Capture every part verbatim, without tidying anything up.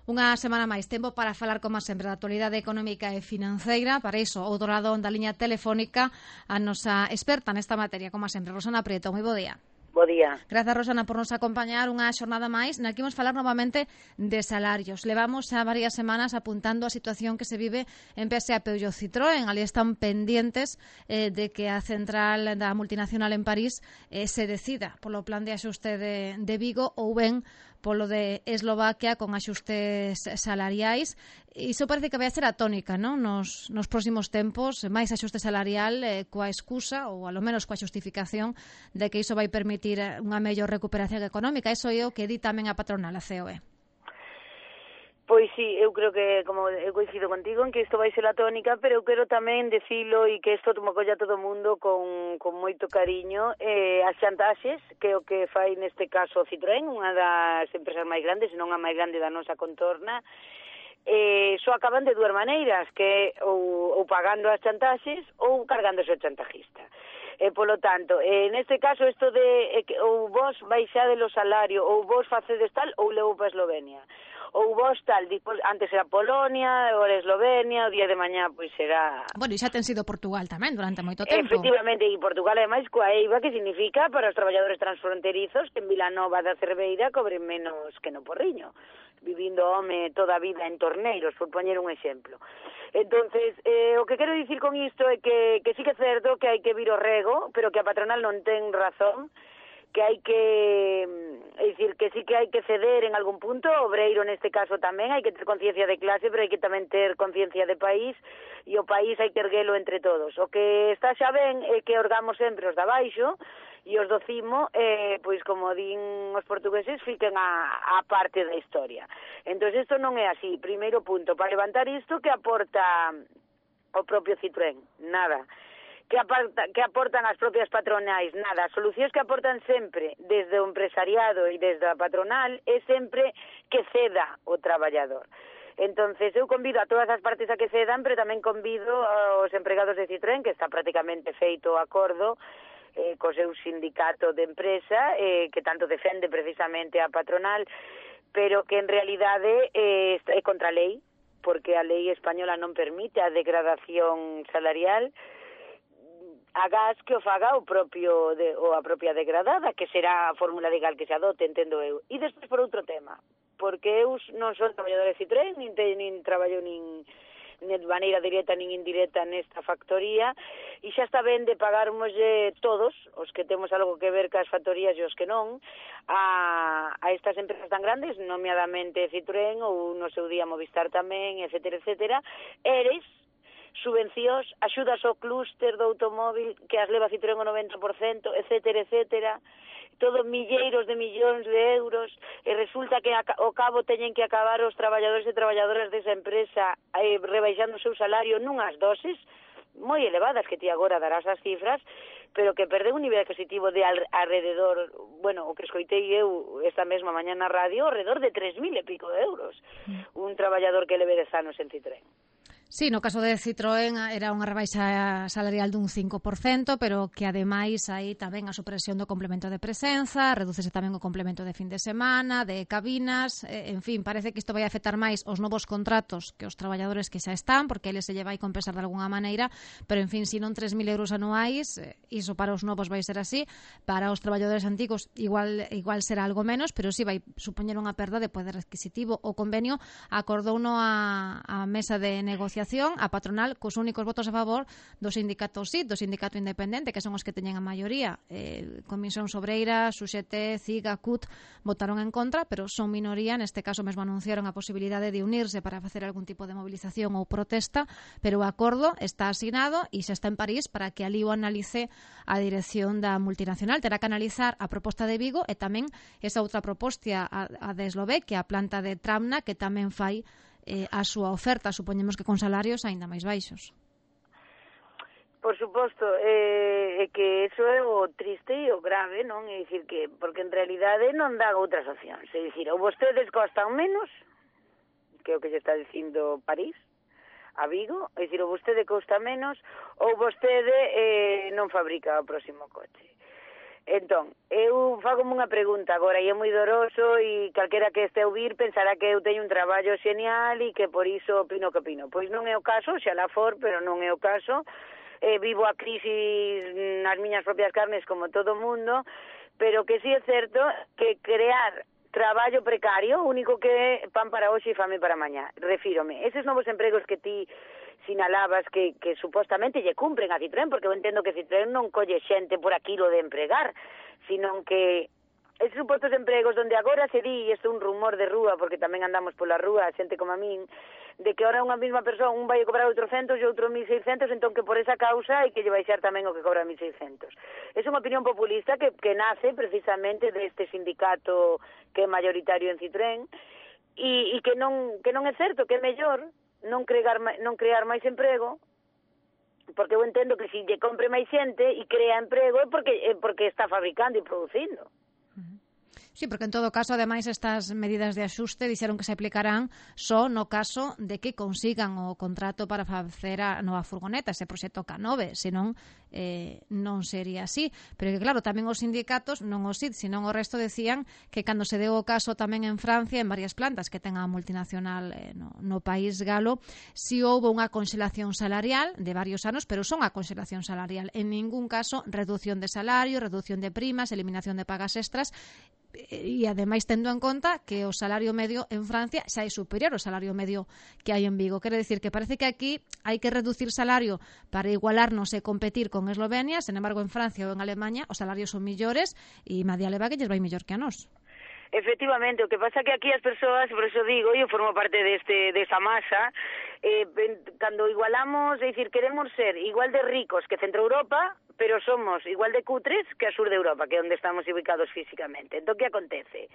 Unha semana máis tempo para falar, como sempre, da actualidade económica e financeira. Para iso, outro lado da liña telefónica, a nosa experta nesta materia, como sempre, Rosana Prieto. Moi bo día. Bo día. Grazas, Rosana, por nos acompañar unha xornada máis na que imos falar novamente de salarios. Levamos xa varias semanas apuntando a situación que se vive en P S A, Peugeot, Citroën. Ali están pendientes eh, de que a central da multinacional en París eh, se decida polo plan de axuste de, de Vigo ou ben polo de Eslovaquia con axustes salariais. Iso parece que vai a ser a tónica, non? Nos, nos próximos tempos, máis axuste salarial eh, coa excusa, ou alo menos coa xustificación, de que iso vai permitir unha mellor recuperación económica. Iso é o que di tamén a patronal, a C O E. Pois sí, eu creo que, como eu coincido contigo, en que isto vai ser a tónica, pero eu quero tamén decilo e que isto tomo colla todo o mundo con, con moito cariño. Eh, as chantaxes, que é o que fai neste caso Citroën, unha das empresas máis grandes, non a máis grande da nosa contorna, eh, só acaban de dúas maneiras, que ou, ou pagando as chantaxes ou cargándose o chantajista. E, polo tanto, eh, neste caso, isto de eh, que, ou vos baixade o salario, ou vos facedes tal, ou levo para Eslovenia. Ou vos tal, despois, antes era Polonia, agora Eslovenia, o día de mañá pois será... Bueno, e xa ten sido Portugal tamén durante moito tempo. Efectivamente, e Portugal ademais coa EIVA, que significa para os traballadores transfronterizos que en Vilanova da Cerveira cobren menos que no Porriño, vivindo home toda a vida en Torneiros, por poñer un exemplo. Entonces, eh, o que quero dicir con isto é que, que sí que é certo que hai que vir o rego, pero que a patronal non ten razón, que hai que, é dicir, que sí que hai que ceder en algún punto, o obreiro neste caso tamén, hai que ter conciencia de clase, pero hai que tamén ter conciencia de país, e o país hai que erguelo entre todos. O que está xa ben é que orgamos sempre os de abaixo, e os do cimo, eh, pois como din os portugueses, fiquen a, a parte da historia. Entón, isto non é así. Primeiro punto, para levantar isto, que aporta o propio Citroën? Nada. Que, aparta, que aportan as propias patronais? Nada. As solucións que aportan sempre desde o empresariado e desde a patronal é sempre que ceda o traballador. Entonces, eu convido a todas as partes a que cedan, pero tamén convido aos empregados de Citroën, que está prácticamente feito o acordo eh, co seu sindicato de empresa, eh, que tanto defende precisamente a patronal, pero que en realidade eh, é contra a lei, porque a lei española non permite a degradación salarial. Agás que o faga o propio de, ou a propia degradada, que será a fórmula legal que se adote, entendo eu. E despois por outro tema, porque eu non son traballadora de Citroën, nin, te, nin traballo nin, nin de maneira directa nin indirecta nesta factoría, e xa está ben de pagarmos eh, todos, os que temos algo que ver cas factorías e os que non, a, a estas empresas tan grandes, nomeadamente Citroën ou no seu día Movistar tamén, etcétera, etcétera, eres subvencións, axudas ao clúster do automóvil que as leva Citroën o noventa por cento, etcétera, etcétera, todo milleiros de millóns de euros, e resulta que ao cabo teñen que acabar os traballadores e traballadoras desa empresa eh, rebaixando o seu salario nunhas doses moi elevadas, que ti agora darás as cifras, pero que perde un nivel adquisitivo de al, alrededor, bueno, o que escoitei eu esta mesma mañá na radio, alrededor de tres mil e pico de euros, mm. un traballador que leve dez anos en Citroën. Sí, no caso de Citroën era unha rebaixa salarial dun cinco por cento, pero que ademais hai tamén a supresión do complemento de presenza, redúcese tamén o complemento de fin de semana, de cabinas, eh, en fin, parece que isto vai afectar máis os novos contratos que os traballadores que xa están, porque eles se lle vai compensar de alguna maneira, pero en fin, se non tres mil euros anuais, eh, iso para os novos vai ser así, para os traballadores antigos igual igual será algo menos, pero sí vai supoñer unha perda de poder adquisitivo. O convenio acordouno a, a mesa de negociación, a patronal, cos únicos votos a favor do sindicato S I D, do sindicato independente, que son os que teñen a maioría. Eh, Comisión Sobreira, S U X T, C I G, A C U T votaron en contra, pero son minoría. Neste caso mesmo anunciaron a posibilidade de unirse para facer algún tipo de movilización ou protesta, pero o acordo está asinado e xa está en París para que ali o analice a dirección da multinacional. Terá que analizar a proposta de Vigo e tamén esa outra proposta, a, a de Eslovaquia, a planta de Travna, que tamén fai Eh, a súa oferta, supoñemos que con salarios aínda máis baixos. Por suposto, é eh, que eso é o triste e o grave, non? É dicir que, porque en realidade non dan outras opcións. É dicir, ou vostedes costan menos, que é o que lle está dicindo París, a Vigo, é dicir, ou vostede costa menos, ou vostede eh, non fabrica o próximo coche. Entón, eu fago unha pregunta agora, e é moi doroso, e calquera que este a ouvir pensará que eu teño un traballo xenial e que por iso opino que opino. Pois non é o caso, xa la for, pero non é o caso. Eh, vivo a crisis nas miñas propias carnes como todo o mundo, pero que sí é certo que crear traballo precario, único que é pan para hoxe e fame para mañá. Refírome, eses novos empregos que ti sinalabas que, que supostamente lle cumpren a Citroën, porque eu entendo que Citroën non colle xente por aquilo de empregar, sino que esos supostos empregos donde agora se di, e isto é un rumor de rúa, porque tamén andamos pola rúa, xente como a min, de que ahora unha mesma persoa, un vai a cobrar oitocentos e outro mil seiscentos, entón que por esa causa hai que lle baixar tamén o que cobra mil seiscentos. É unha opinión populista que, que nace precisamente deste sindicato que é mayoritario en Citroën, e, e que non que non é certo, que é mellor non crear non crear máis emprego, porque eu entendo que se lle compre máis xente e crea emprego é porque é porque está fabricando e producindo. Sí, porque en todo caso, ademais, estas medidas de axuste dixeron que se aplicarán só no caso de que consigan o contrato para facer a nova furgoneta, ese proxecto K nove, senón eh, non sería así. Pero que claro, tamén os sindicatos, non os I D, senón o resto, decían que cando se deu o caso tamén en Francia, en varias plantas que ten a multinacional eh, no, no país galo, si houve unha conxelación salarial de varios anos, pero son a conxelación salarial. En ningún caso, reducción de salario, reducción de primas, eliminación de pagas extras, e ademais tendo en conta que o salario medio en Francia xa é superior ao salario medio que hai en Vigo. Quere decir que parece que aquí hai que reducir salario para igualarnos e competir con Eslovenia, sen embargo en Francia ou en Alemanha os salarios son millores e Madia leva que lles vai millor que a nós. Efectivamente, o que pasa que aquí as persoas, por eso digo, eu formo parte deste desa masa, eh, cando igualamos, é dicir, queremos ser igual de ricos que Centro Europa, pero somos igual de cutres que a sur de Europa, que é onde estamos ubicados físicamente. Entón, que acontece?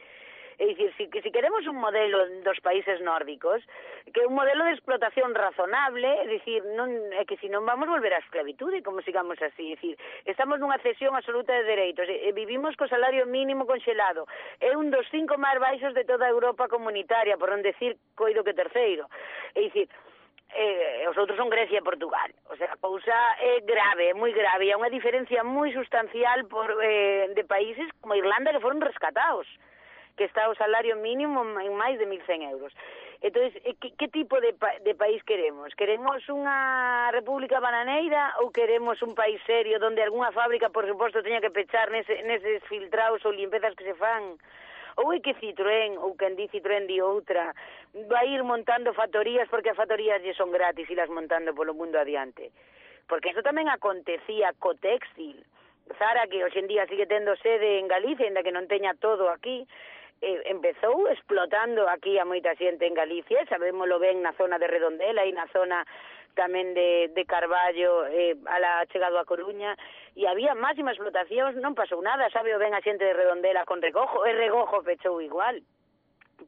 É dicir, si, si queremos un modelo dos países nórdicos, que é un modelo de explotación razonable, é dicir, non, é que si non vamos volver á esclavitude, como sigamos así, é dicir, estamos nunha cesión absoluta de dereitos, e, e vivimos co salario mínimo conxelado, é un dos cinco máis baixos de toda a Europa comunitaria, por non decir coido que terceiro, é dicir, eh, os outros son Grecia e Portugal, o sea, a cousa é grave, é moi grave, e há unha diferencia moi sustancial por, eh, de países como Irlanda que foron rescatados, que está o salario mínimo en máis de mil cen euros. Entón, que, que tipo de, pa, de país queremos? Queremos unha república bananeira ou queremos un país serio donde algunha fábrica, por suposto, teña que pechar nese, neses filtrados ou limpezas que se fan? Ou é que Citroën, ou quen di Citroën di outra, vai ir montando factorías porque as factorías lle son gratis e las montando polo mundo adiante? Porque eso tamén acontecía co textil. Zara, que hoxe en día sigue tendo sede en Galicia, ainda que non teña todo aquí, eh, empezou explotando aquí a moita xente en Galicia, sabémoslo ben na zona de Redondela e na zona tamén de, de Carballo, eh, a la chegado a Coruña, e había máxima explotación, non pasou nada, sabe o ben a xente de Redondela con Regojo, e Regojo pechou igual.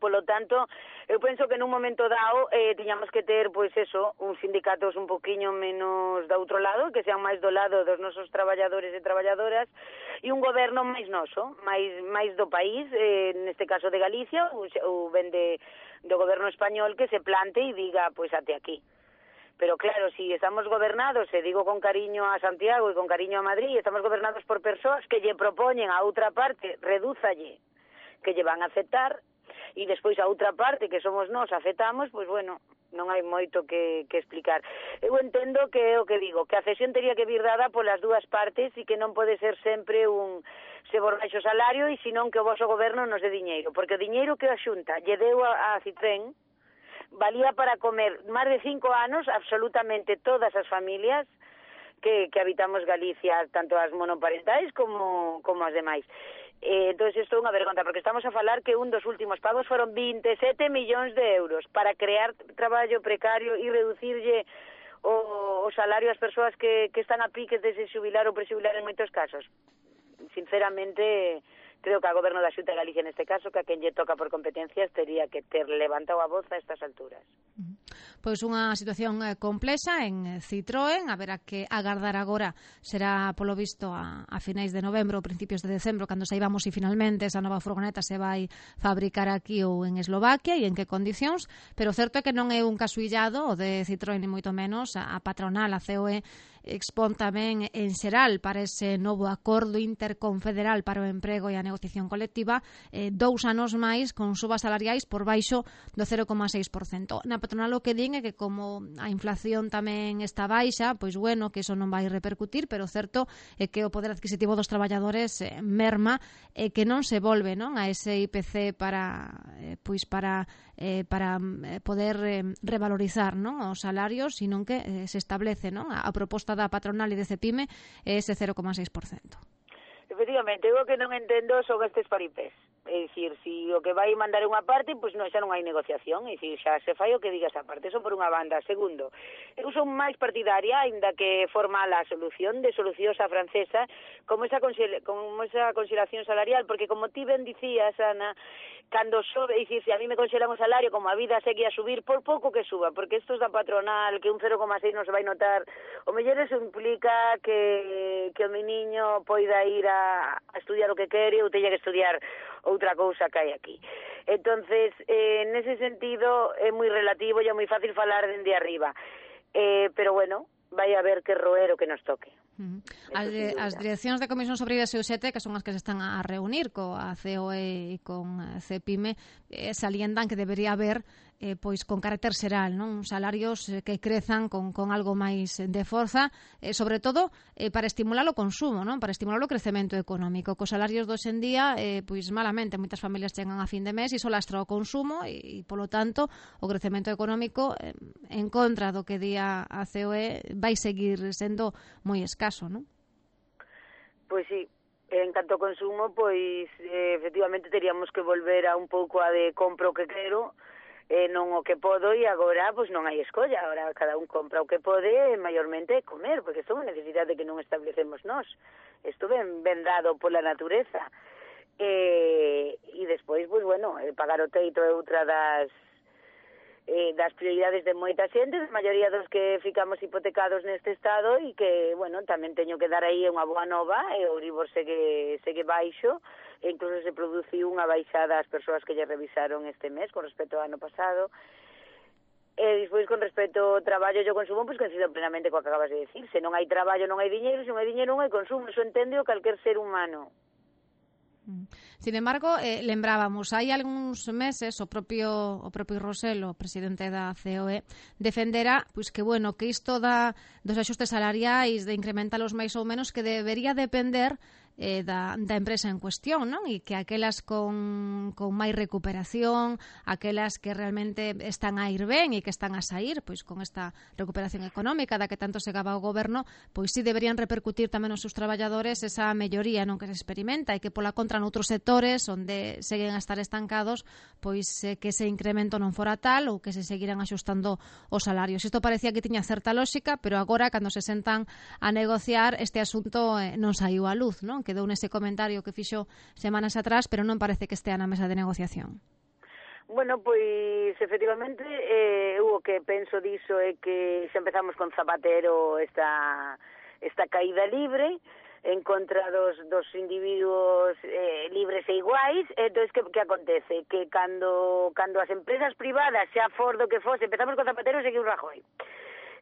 Polo tanto, eu penso que nun momento dado eh, tiñamos que ter, pois eso, uns sindicatos un poquinho menos do outro lado, que sean máis do lado dos nosos traballadores e traballadoras, e un goberno máis noso, máis máis do país, eh, neste caso de Galicia, ou, ou ben de, do goberno español, que se plante e diga, pois até aquí. Pero claro, si estamos gobernados, e digo con cariño a Santiago e con cariño a Madrid, estamos gobernados por persoas que lle propoñen a outra parte, redúzalle, que lle van a aceptar, e despois a outra parte que somos nós aceptamos, pois bueno, non hai moito que, que explicar. Eu entendo que é o que digo, que a cesión teria que vir dada polas dúas partes e que non pode ser sempre un se vos baixo salario e senón que o vosso goberno nos dé diñeiro, porque o diñeiro que a Xunta lle deu a, a Citroën valía para comer máis de cinco anos absolutamente todas as familias que, que habitamos Galicia, tanto as monoparentais como, como as demais. Eh, entón, isto é unha vergonza, porque estamos a falar que un dos últimos pagos foron vinte e sete millóns de euros para crear traballo precario e reducirlle o, o salario ás persoas que, que están a piques de se xubilar ou prexubilar en moitos casos. Sinceramente, creo que a goberno da Xunta de Galicia neste caso, que a quen lle toca por competencias, tería que ter levantado a voz a estas alturas. Pois unha situación complexa en Citroën, a ver a que agardar agora será polo visto a, a finais de novembro ou principios de decembro, cando saibamos se finalmente esa nova furgoneta se vai fabricar aquí ou en Eslovaquia e en que condicións, pero certo é que non é un caso illado o de Citroën ni moito menos, a, a patronal, a C O E, expón tamén en xeral para ese novo acordo interconfederal para o emprego e a negociación colectiva eh, dous anos máis con subas salariais por baixo do cero coma seis por cento. Na patronal o que din é que como a inflación tamén está baixa, pois bueno, que iso non vai repercutir, pero o certo é que o poder adquisitivo dos traballadores eh, merma e que non se volve, non, a ese I P C para eh, pois para eh, para eh, poder eh, revalorizar, non, os salarios, sino que eh, se establece, non, a, a proposta da patronal e de Cepime é ese cero coma seis por cento. Efectivamente, eu o que non entendo son estes paripés. É dicir, si o que vai mandar unha parte, pois non, xa non hai negociación, é dicir, xa se fai o que diga esa parte, eso por unha banda. Segundo, eu son máis partidaria, aínda que forma a solución de soluciosa francesa, como esa, como esa consideración salarial, porque como ti ben dicías, Ana, cando sobe, é dicir, se a mí me consideran o salario, como a vida segue a subir, por pouco que suba, porque estos da patronal, que un cero coma seis non se vai notar, o mellor eso implica que, que o mi niño poida ir a, a estudiar o que quere ou teña que estudiar outra cousa que hai aquí. Entonces, eh, nese sentido, é moi relativo e é moi fácil falar dende arriba. Eh, pero bueno, vai a ver que roer o que nos toque. Uh -huh. As, de, as direccións de Comisión Obreiras e U S E T, que son as que se están a reunir coa C O E e con Cepime, eh, salientan que debería haber eh, pois con carácter xeral, non, salarios eh, que crezan con, con algo máis de forza, eh, sobre todo eh, para estimular o consumo, non, para estimular o crecemento económico. Cos salarios do hoxe en día, eh, pois malamente, moitas familias chegan a fin de mes e iso lastra o consumo e, e polo tanto, o crecemento económico eh, en contra do que di a C O E vai seguir sendo moi escaso, non? Pois sí, en canto ao consumo, pois eh, efectivamente teríamos que volver a un pouco a de compro o que quero, eh, non o que podo, e agora pois non hai escolla, agora cada un compra o que pode, e maiormente comer, porque isto é unha necesidade que non establecemos nós, isto ben, ben dado pola natureza, e, e despois, pois bueno, pagar o teito é outra das Eh, das prioridades de moita xente, a maioría dos que ficamos hipotecados neste estado, e que, bueno, tamén teño que dar aí unha boa nova, e o Euribor segue, segue baixo, e incluso se produciu unha baixada ás persoas que lle revisaron este mes con respecto ao ano pasado. E despois, con respecto ao traballo e ao consumo, pois coincido plenamente co que acabas de decir, se non hai traballo non hai diñeiro, se non hai diñeiro non hai consumo, iso entende o calquer ser humano. Sin embargo, eh, lembrábamos, hai algúns meses o propio o propio Rosell, o presidente da C O E, defendera pois que bueno, que isto da dos axustes salariais, de incrementalos máis ou menos, que debería depender eh, da, da empresa en cuestión, non? E que aquelas con, con máis recuperación, aquelas que realmente están a ir ben e que están a sair, pois con esta recuperación económica da que tanto se gaba o goberno, pois si deberían repercutir tamén nos seus traballadores esa melloría non que se experimenta, e que pola contra noutros sectores onde seguen a estar estancados, pois eh, que ese incremento non fora tal ou que se seguiran axustando os salarios. Isto parecía que tiña certa lógica, pero agora, cando se sentan a negociar, este asunto eh, non saiu á luz, non? Quedou nese comentario que fixo semanas atrás, pero non parece que estea na mesa de negociación. Bueno, pois, efectivamente, eh, eu o que penso diso é que xa empezamos con Zapatero esta, esta caída libre en contra dos, dos individuos eh, libres e iguais. Entón, que, que acontece? Que cando, cando as empresas privadas, xa for do que fose, empezamos con Zapatero e seguiu Rajoy,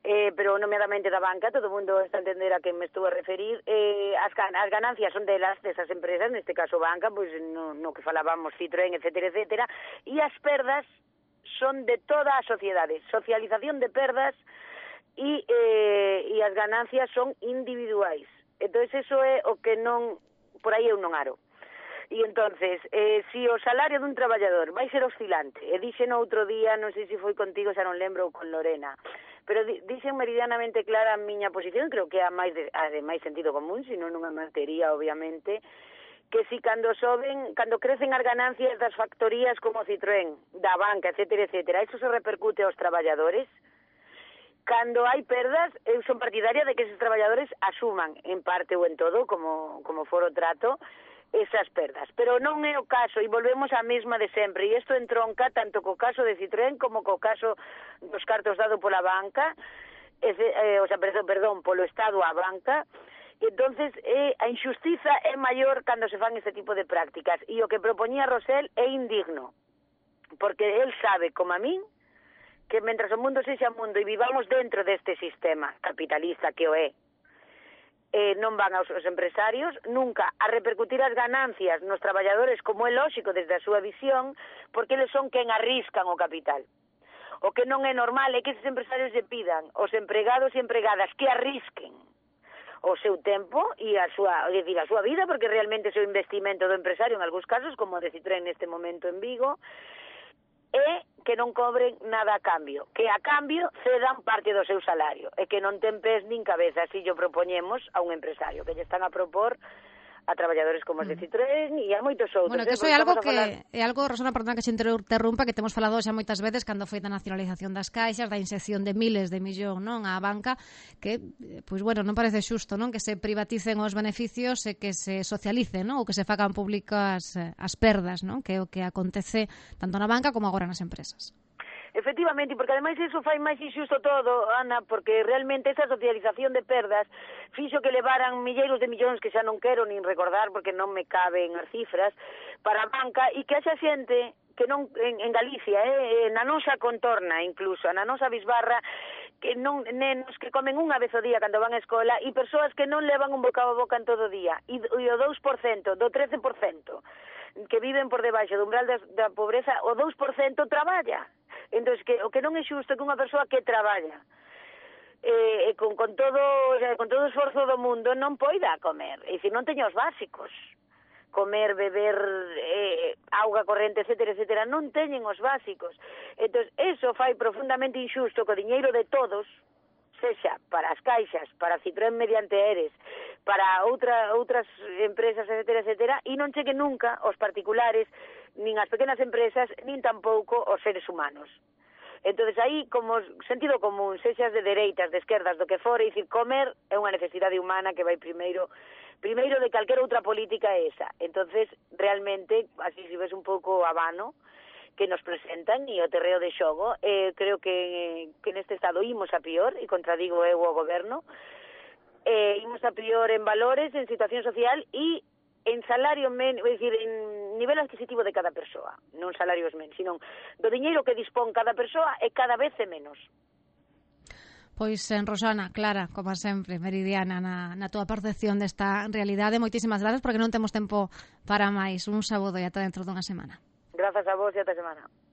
Eh, pero nomeadamente da banca, todo o mundo está a entender a que me estou a referir, eh, as, as ganancias son delas, desas empresas, neste caso banca, pois no, no que falábamos, Citroën, etcétera, etcétera, e as perdas son de toda a sociedade, socialización de perdas, e, eh, e as ganancias son individuais. Entón, eso é o que non, por aí eu non aro. E entonces, eh, si o salario dun traballador vai ser oscilante, e dixen outro día, non sei se foi contigo, xa non lembro, ou con Lorena, pero dixen meridianamente clara a miña posición, creo que é a máis de, a de máis sentido común, senón non a mantería, obviamente, que si cando soben, cando crecen as ganancias das factorías como Citroën, da banca, etcétera, etcétera, iso se repercute aos traballadores. Cando hai perdas, eu son partidaria de que esos traballadores asuman, en parte ou en todo, como, como for o trato, esas perdas, pero non é o caso, e volvemos á mesma de sempre, e isto entronca tanto co caso de Citroën como co caso dos cartos dado pola banca, eh, o sea, perdón, perdón, polo Estado á banca. E entonces eh, a injustiza é maior cando se fan este tipo de prácticas, e o que propoñía Rosell é indigno, porque el sabe, como a min, que mentras o mundo sexa mundo e vivamos dentro deste sistema capitalista que o é, eh, non van aos os empresarios, nunca a repercutir as ganancias nos traballadores, como é lóxico desde a súa visión, porque eles son quen arriscan o capital. O que non é normal é que esses empresarios lle pidan aos empregados e empregadas que arrisquen o seu tempo e a súa, é dicir, a súa vida, porque realmente é o investimento do empresario en algúns casos, como de Citroën neste momento en Vigo, é que non cobren nada a cambio, que a cambio cedan parte do seu salario, e que non ten pés nin cabeza, así yo propoñemos a un empresario, que lle están a propor a traballadores como os de Citroën e a moitos outros. Bueno, que iso é algo que falar... é algo, Rosana, perdón que se interrumpa, que temos falado xa moitas veces cando foi da nacionalización das caixas, da inxección de miles de millón, non, á banca, que, pois bueno, non parece xusto, non, que se privaticen os beneficios e que se socialicen, non, ou que se fagan públicas as perdas, non, que é o que acontece tanto na banca como agora nas empresas. Efectivamente, porque ademais iso fai máis injusto todo, Ana, porque realmente esa socialización de perdas fixo que levaran milleiros de millóns que xa non quero nin recordar porque non me caben as cifras para a banca e que haxa xente que non en, en Galicia, eh, na nosa contorna incluso, na nosa bisbarra, que non nenos que comen unha vez ao día cando van á escola e persoas que non levan un bocado a boca en todo o día e, e o dous por cento, do trece por cento que viven por debaixo do umbral da, da pobreza, o dous por cento traballa. Entón, que, o que non é xusto que unha persoa que traballa eh, con, con todo o sea, con todo o esforzo do mundo non poida comer, é dicir, non teña os básicos, comer, beber, eh, auga corrente, etcétera, etcétera, non teñen os básicos. Entón, eso fai profundamente injusto co diñeiro de todos, sexa para as caixas, para Citroën mediante Eres, para outra, outras empresas, etcétera, etcétera, e non chegue nunca aos particulares, nin as pequenas empresas, nin tampouco aos seres humanos. Entonces aí, como sentido común, sexas de dereitas, de esquerdas, do que fora, e dicir, comer é unha necesidade humana que vai primeiro, primeiro de calquera outra política é esa. Entonces, realmente, así se ves un pouco a vano, que nos presentan e o terreo de xogo, eh, creo que, que neste estado imos a pior, e contradigo eu o goberno, eh, imos a pior en valores, en situación social e en salario men, é dicir, en nivel adquisitivo de cada persoa, non salarios men, sino do diñeiro que dispón cada persoa é cada vez é menos. Pois, en Rosana, Clara, como sempre, meridiana na, na túa percepción desta realidade. Moitísimas grazas, porque non temos tempo para máis. Un saúdo e ata dentro dunha semana. Grazas a vos e ata semana.